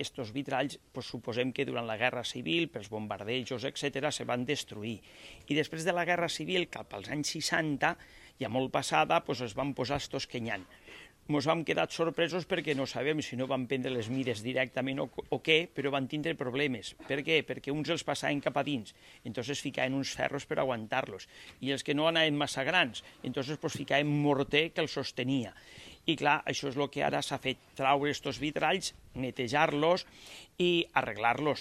estos vitralls, suposem que durant la Guerra Civil, pels bombardejos, etc., se van destruir. I després de la Guerra Civil, cap als anys 60, ja molt passada, es van posar estos kenyans. Ens vam quedar sorpresos perquè no sabem si no van prendre les mides directament o què, però van tindre problemes. Per què? Perquè uns els passaven cap a dins, entonces ficaven uns ferros per aguantar-los, i els que no anaven massa grans, entonces ficaven morter que els sostenia. I clar, això és el que ara s'ha fet, traure estos vitralls, netejar-los i arreglar-los.